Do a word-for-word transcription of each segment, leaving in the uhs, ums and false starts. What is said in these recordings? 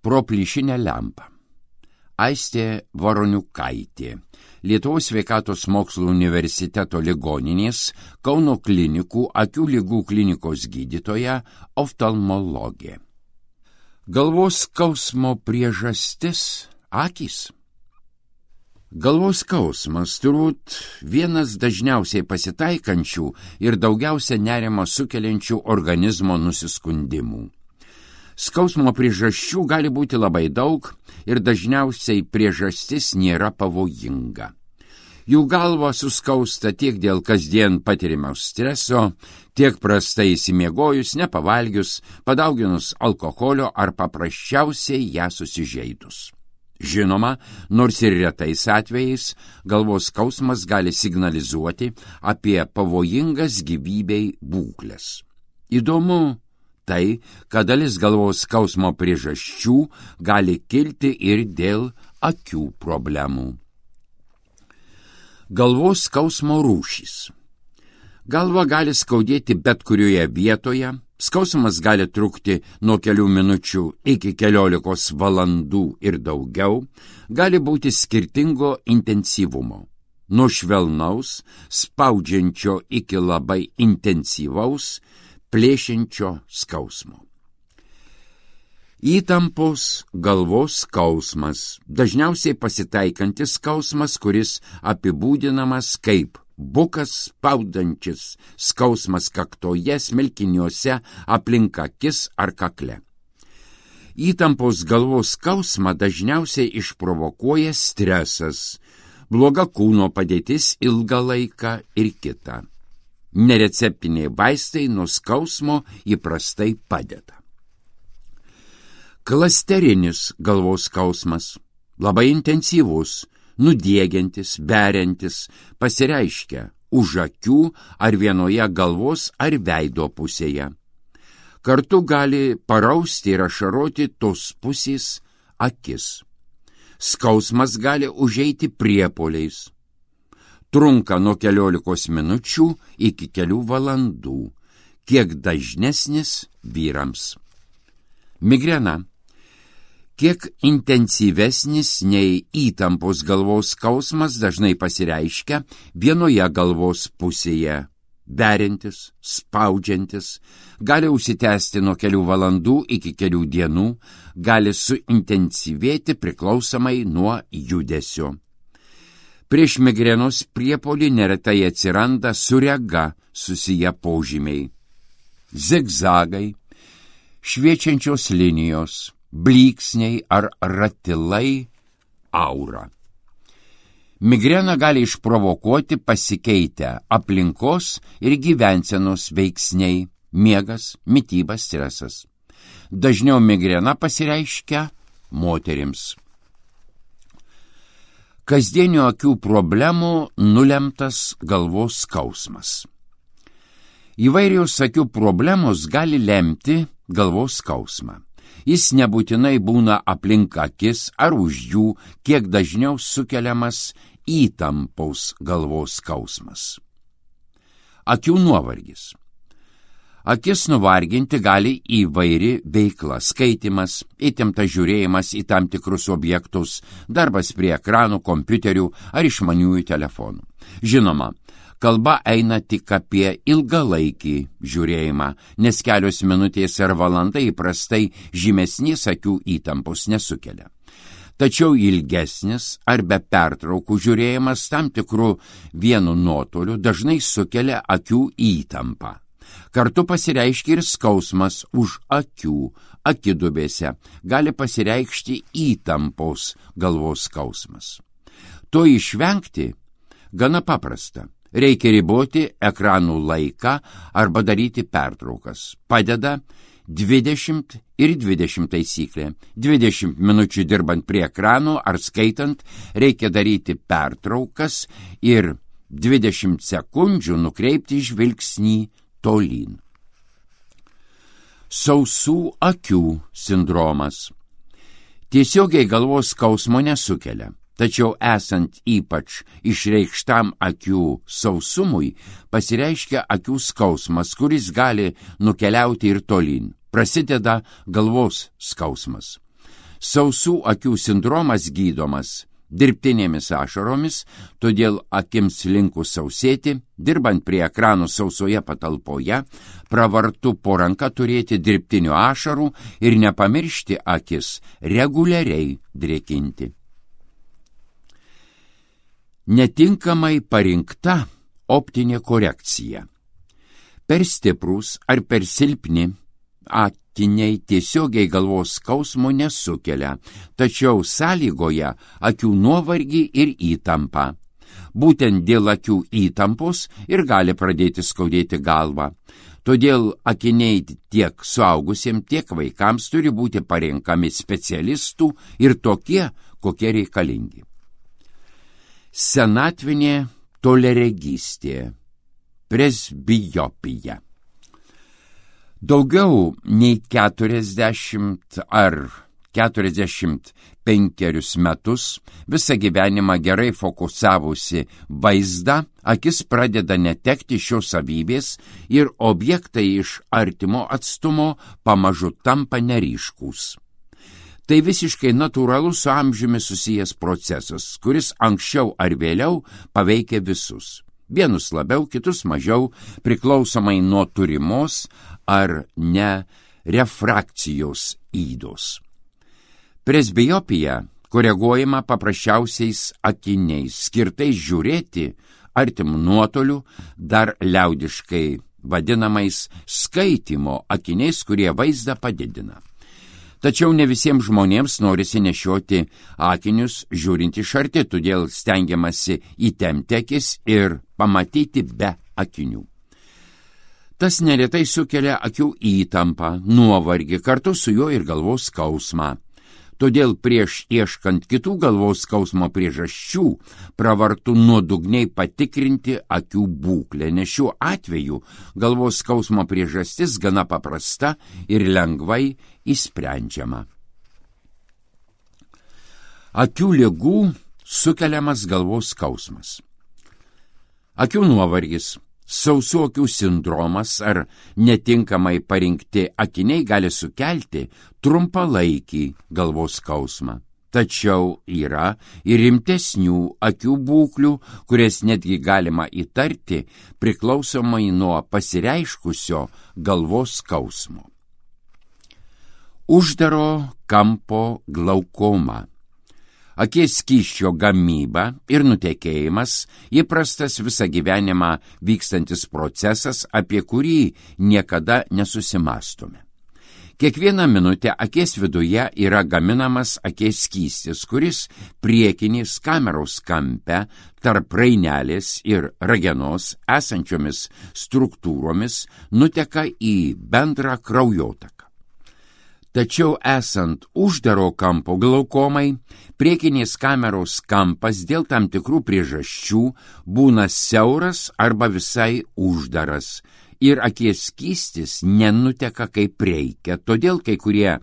pro plyšinę lempą. Aistė Varoniukaitė, Lietuvos sveikatos mokslų universiteto ligoninės Kauno klinikų akių ligų klinikos gydytoja, oftalmologė. Galvos skausmo priežastis – akys. Galvos skausmas turbūt vienas dažniausiai pasitaikančių ir daugiausia nerimo sukeliančių organizmo nusiskundimų. Skausmo priežasčių gali būti labai daug ir dažniausiai priežastis nėra pavojinga. Jų galva suskausta tiek dėl kasdien patirimo streso, tiek prastai įsimiegojus, nepavalgius, padauginus alkoholio ar paprasčiausiai ją susižeidus. Žinoma, nors ir retais atvejais, galvos skausmas gali signalizuoti apie pavojingas gyvybei būkles. Įdomu tai, kad dalis galvos skausmo priežasčių gali kilti ir dėl akių problemų. Galvos skausmo rūšys. Galva gali skaudėti bet kurioje vietoje, skausmas gali trukti nuo kelių minučių iki keliolikos valandų ir daugiau, gali būti skirtingo intensyvumo, nuo švelnaus, spaudžiančio iki labai intensyvaus, plėšiančio skausmo. Įtampos galvos skausmas, dažniausiai pasitaikantis skausmas, kuris apibūdinamas kaip bukas spaudantis skausmas kaktoje, smilkiniuose, aplink akis ar kakle. Įtampos galvos skausmą dažniausiai išprovokuoja stresas, bloga kūno padėtis ilgą laiką ir kita. Nereceptiniai vaistai nuo skausmo įprastai padeda. Klasterinis galvos skausmas, labai intensyvus, nudiegiantis, beriantis, pasireiškia už akių ar vienoje galvos ar veido pusėje. Kartu gali parausti ir ašaroti tos pusės akis. Skausmas gali užeiti priepuoliais. Trunka nuo keliolikos minučių iki kelių valandų, kiek dažnesnis vyrams. Migrena. Kiek intensyvesnis nei įtampos galvos skausmas dažnai pasireiškia vienoje galvos pusėje, beriantis, spaudžiantis, gali užsitęsti nuo kelių valandų iki kelių dienų, gali suintensyvėti priklausomai nuo judesio. Prieš migrenos priepuolį neretai atsiranda su rega susiję požymiai. Zigzagai, šviečiančios linijos, blyksniai ar ratilai, aura. Migrena gali išprovokuoti pasikeitę aplinkos ir gyvensenos veiksniai, miegas, mityba, stresas. Dažniau migrena pasireiškia moterims. Kasdienio akių problemų nulemtas galvos skausmas. Įvairios akių problemos gali lemti galvos skausmą. Jis nebūtinai būna aplink akis ar už jų, kiek dažniau sukeliamas įtampos galvos skausmas. Akių nuovargis. Akis nuvarginti gali įvairi veikla, skaitimas, įtemptas žiūrėjimas į tam tikrus objektus, darbas prie ekranų, kompiuterių ar išmaniųjų telefonų. Žinoma, kalba eina tik apie ilgalaikį žiūrėjimą, nes kelios minutės ar valanda įprastai žymesnės akių įtampos nesukelia. Tačiau ilgesnis ar be pertraukų žiūrėjimas tam tikrų vienu nuotoliu dažnai sukelia akių įtampą. Kartu pasireiškia ir skausmas už akių, akidubėse, gali pasireikšti įtampos galvos skausmas. To išvengti gana paprasta. Reikia riboti ekranų laiką arba daryti pertraukas. Padeda dvidešimt ir dvidešimt taisyklė. dvidešimt minučių dirbant prie ekranų ar skaitant reikia daryti pertraukas ir dvidešimt sekundžių nukreipti žvilgsnį tolyn. Sausų akių sindromas. Tiesiogiai galvos skausmo nesukelia. Tačiau esant ypač išreikštam akių sausumui, pasireiškia akių skausmas, kuris gali nukeliauti ir tolyn. Prasideda galvos skausmas. Sausų akių sindromas gydomas dirbtinėmis ašaromis, todėl akims linkus sausėti, dirbant prie ekranų sausoje patalpoje, pravartu po ranka turėti dirbtinių ašarų ir nepamiršti akis reguliariai drėkinti. Netinkamai parinkta optinė korekcija. Per stiprūs ar per silpni akiniai tiesiogiai galvos skausmo nesukelia, tačiau sąlygoja akių nuovargį ir įtampą. Būtent dėl akių įtampos ir gali pradėti skaudėti galvą. Todėl akiniai tiek suaugusiems, tiek vaikams turi būti parenkami specialistų ir tokie, kokie reikalingi. Senatvinė toliaregystė, presbiopija. Daugiau nei keturiasdešimt ar keturiasdešimt penkerius metus visą gyvenimą gerai fokusavusi vaizdą, akis pradeda netekti šios savybės ir objektai iš artimo atstumo pamažu tampa neryškūs. Tai visiškai natūralus su amžiumi susijęs procesas, kuris anksčiau ar vėliau paveikia visus. Vienus labiau, kitus mažiau, priklausomai nuo turimos ar ne refrakcijos ydos. Presbiopija koreguojama paprasčiausiais akiniais, skirtais žiūrėti artimų nuotolių, dar liaudiškai vadinamais skaitymo akiniais, kurie vaizdą padidina. Tačiau ne visiems žmonėms norisi nešioti akinius žiūrint iš arti, todėl stengiamasi įtempti akis ir pamatyti be akinių. Tas neretai sukelia akių įtampą, nuovargį, kartu su juo ir galvos skausmą. Todėl prieš ieškant kitų galvos skausmo priežasčių pravartu nuodugniai patikrinti akių būklę, nes šiuo atveju galvos skausmo priežastis gana paprasta ir lengvai išsprendžiama. Akių ligų sukeliamas galvos skausmas. Akių nuovargis, sausų akių sindromas ar netinkamai parinkti akiniai gali sukelti trumpalaikį galvos skausmą. Tačiau yra ir rimtesnių akių būklių, kurias netgi galima įtarti priklausomai nuo pasireiškusio galvos skausmo. Uždaro kampo glaukoma. Akies skysčio gamyba ir nutekėjimas įprastas visą gyvenimą vykstantis procesas, apie kurį niekada nesusimastome. Kiekvieną minutę akies viduje yra gaminamas akies skystis, kuris priekinės kameros kampe tarp rainelės ir ragenos esančiomis struktūromis nuteka į bendrą kraujotaką. Tačiau esant uždaro kampo glaukomai, priekinės kameros kampas dėl tam tikrų priežasčių būna siauras arba visai uždaras ir akies skystis nenuteka kaip reikia, todėl kai kurie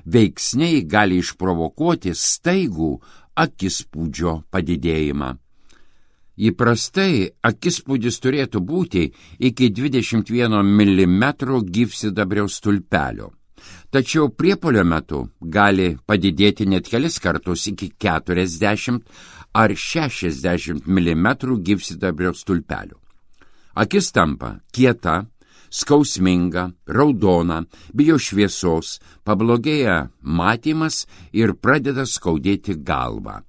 veiksniai gali išprovokuoti staigų akispūdžio padidėjimą. Įprastai akispūdis turėtų būti iki dvidešimt vieno milimetro gyvsidabrio stulpelio. Tačiau priepuolio metu gali padidėti net kelis kartus iki keturiasdešimt ar šešiasdešimt milimetrų gyvsidabrio stulpelių. Akis tampa kieta, skausminga, raudona, bijo šviesos, pablogėja matymas ir pradeda skaudėti galvą.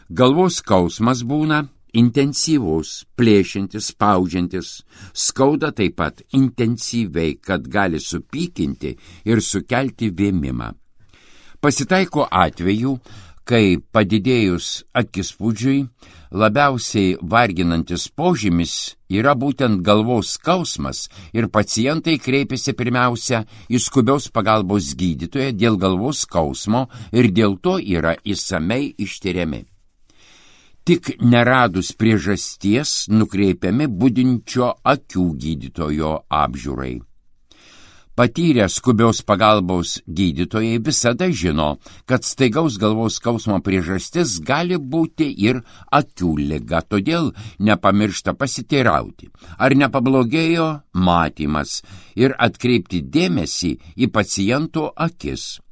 Galvos skausmas būna intensyvus, plėšiantis, spaudžiantis, skauda taip pat intensyviai, kad gali supykinti ir sukelti vėmimą. Pasitaiko atvejų, kai padidėjus akispūdžiui labiausiai varginantis požymis yra būtent galvos skausmas ir pacientai kreipiasi pirmiausia į skubios pagalbos gydytoją dėl galvos skausmo ir dėl to yra išsamei ištiriami. Tik neradus priežasties nukreipiami budinčio akių gydytojo apžiūrai. Patyrę skubios pagalbos gydytojai visada žino, kad staigaus galvos skausmo priežastis gali būti ir akių liga, todėl nepamiršta pasiteirauti, ar nepablogėjo matymas ir atkreipti dėmesį į paciento akis.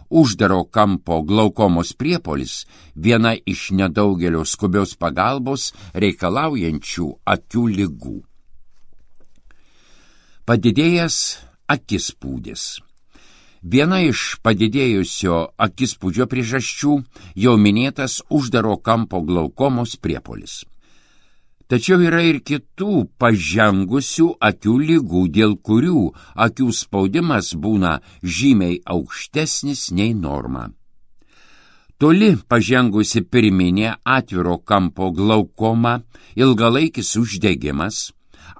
Uždaro kampo glaukomos priepuolis viena iš nedaugelio skubios pagalbos reikalaujančių akių ligų. Padidėjęs akispūdis. Viena iš padidėjusio akispūdžio priežasčių jau minėtas uždaro kampo glaukomos priepuolis. Tačiau yra ir kitų pažengusių akių ligų, dėl kurių akių spaudimas būna žymiai aukštesnis nei norma. Toli pažengusi pirminė atviro kampo glaukoma, ilgalaikis uždegimas,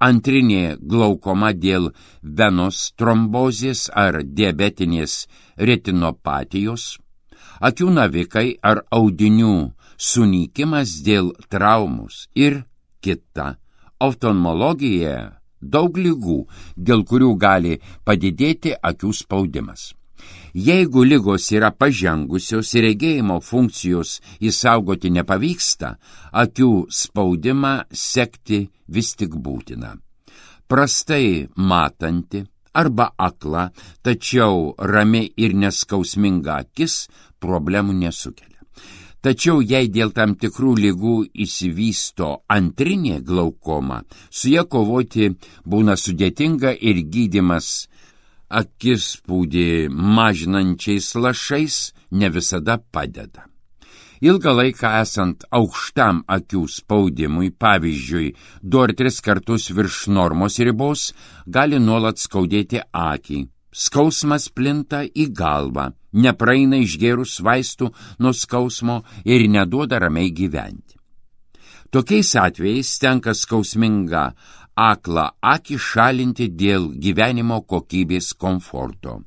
antrinė glaukoma dėl venos trombozės ar diabetinės retinopatijos, akių navikai ar audinių sunykimas dėl traumus ir kita. Oftalmologijoje daug ligų, dėl kurių gali padidėti akių spaudimas. Jeigu ligos yra pažengusios ir regėjimo funkcijos įsaugoti nepavyksta, akių spaudimą sekti vis tik būtina. Prastai matanti arba akla, tačiau rami ir neskausminga akis problemų nesukelia. Tačiau jei dėl tam tikrų ligų įsivysto antrinė glaukoma, su ja kovoti būna sudėtinga ir gydymas akispūdį mažinančiais lašais ne visada padeda. Ilgą laiką esant aukštam akių spaudimui, pavyzdžiui, du ar tris kartus virš normos ribos, gali nuolat skaudėti akį. Skausmas plinta į galvą, nepraeina išgėrus vaistų nuo skausmo ir neduoda ramiai gyventi. Tokiais atvejais tenka skausmingą aklą akį šalinti dėl gyvenimo kokybės komforto.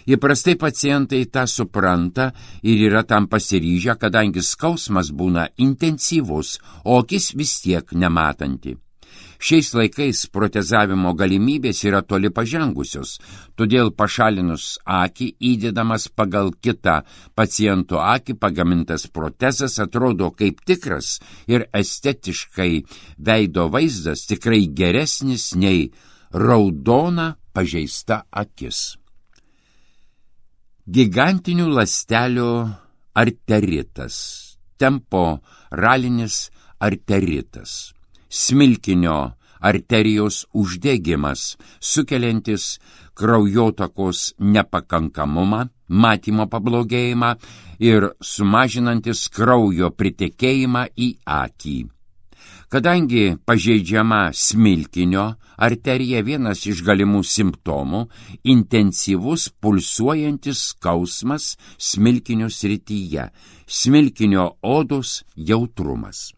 Įprastai pacientai tą supranta ir yra tam pasiryžę, kadangi skausmas būna intensyvus, o akis vis tiek nematanti. Šiais laikais protezavimo galimybės yra toli pažengusios, todėl pašalinus akį įdedamas pagal kitą paciento akį pagamintas protezas atrodo kaip tikras ir estetiškai veido vaizdas tikrai geresnis nei raudona pažeista akis. Gigantinių ląstelių arteritas, temporalinis arteritas. Smilkinio arterijos uždegimas, sukeliantis kraujotakos nepakankamumą, matymo pablogėjimą ir sumažinantis kraujo pritekėjimą į akį. Kadangi pažeidžiama smilkinio arterija, vienas iš galimų simptomų – intensyvus pulsuojantis skausmas smilkinio srityje, smilkinio odos jautrumas.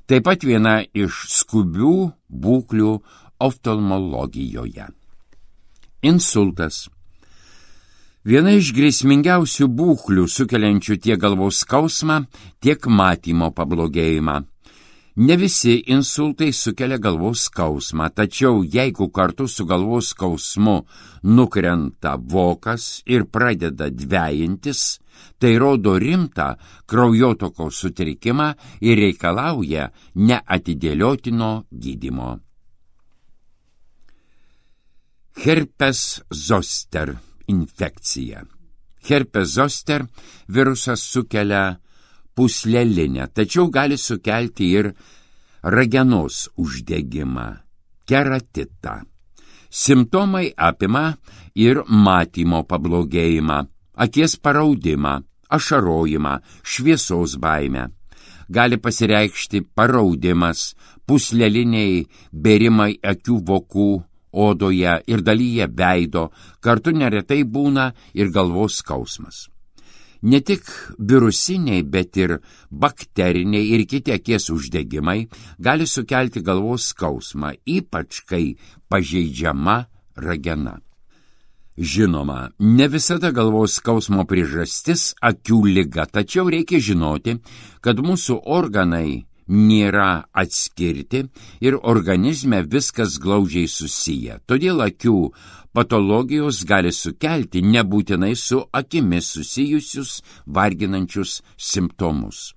Taip pat viena iš skubių būklių oftalmologijoje. Insultas. Viena iš grėsmingiausių būklių sukeliančių tiek galvos skausmą, tiek matymo pablogėjimą. Ne visi insultai sukelia galvos skausmą, tačiau jeigu kartu su galvos skausmu nukrenta vokas ir pradeda dvejintis, tai rodo rimtą kraujotokos sutrikimą ir reikalauja neatidėliotino gydymo. Herpes zoster infekcija. Herpes zoster virusas sukelia pūslelinę, tačiau gali sukelti ir ragenos uždegimą, keratitą. Simptomai apima ir matymo pablogėjimą, akies paraudimą, ašarojimą, šviesos baimę. Gali pasireikšti paraudimas, pūsleliniai bėrimai akių vokų, odoje ir dalyje veido, kartu neretai būna ir galvos skausmas. Ne tik virusiniai, bet ir bakteriniai ir kiti akies uždegimai gali sukelti galvos skausmą, ypač kai pažeidžiama ragena. Žinoma, ne visada galvos skausmo priežastis akių liga, tačiau reikia žinoti, kad mūsų organai nėra atskirti ir organizme viskas glaudžiai susiję. Todėl akių patologijos gali sukelti nebūtinai su akimis susijusius varginančius simptomus.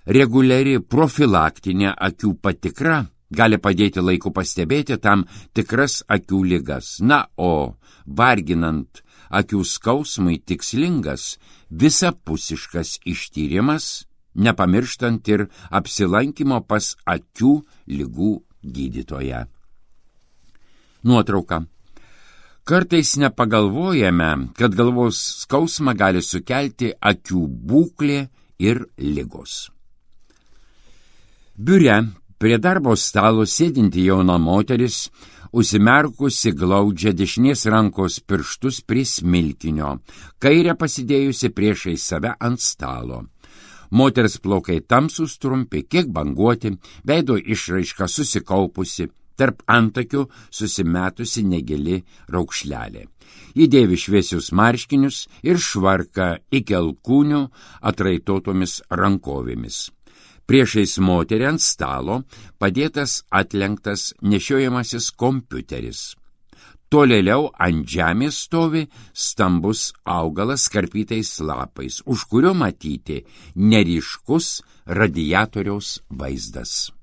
Reguliari profilaktinė akių patikra gali padėti laiku pastebėti tam tikras akių ligas. Na, o varginant akių skausmui tikslingas visapusiškas ištyrimas, nepamirštant ir apsilankimo pas akių ligų gydytoją. Nuotrauka. Kartais nepagalvojame, kad galvos skausmą gali sukelti akių būklė ir ligos. Biure prie darbo stalo sėdinti jauna moteris, užsimerkusi glaudžia dešinės rankos pirštus prie smilkinio, kairę pasidėjusi priešais save ant stalo. Moters plaukai tamsūs trumpi, kiek banguoti, veido išraiška susikaupusi, tarp antakių susimetusi negili raukšlelė. Ji dėvi šviesius marškinius ir švarką iki alkūnių atraitotomis rankovėmis. Priešais moterį ant stalo padėtas atlenktas nešiojamasis kompiuteris. Tolėliau ant žemės stovi stambus augalas karpytais lapais, už kurio matyti neryškus radiatoriaus vaizdas.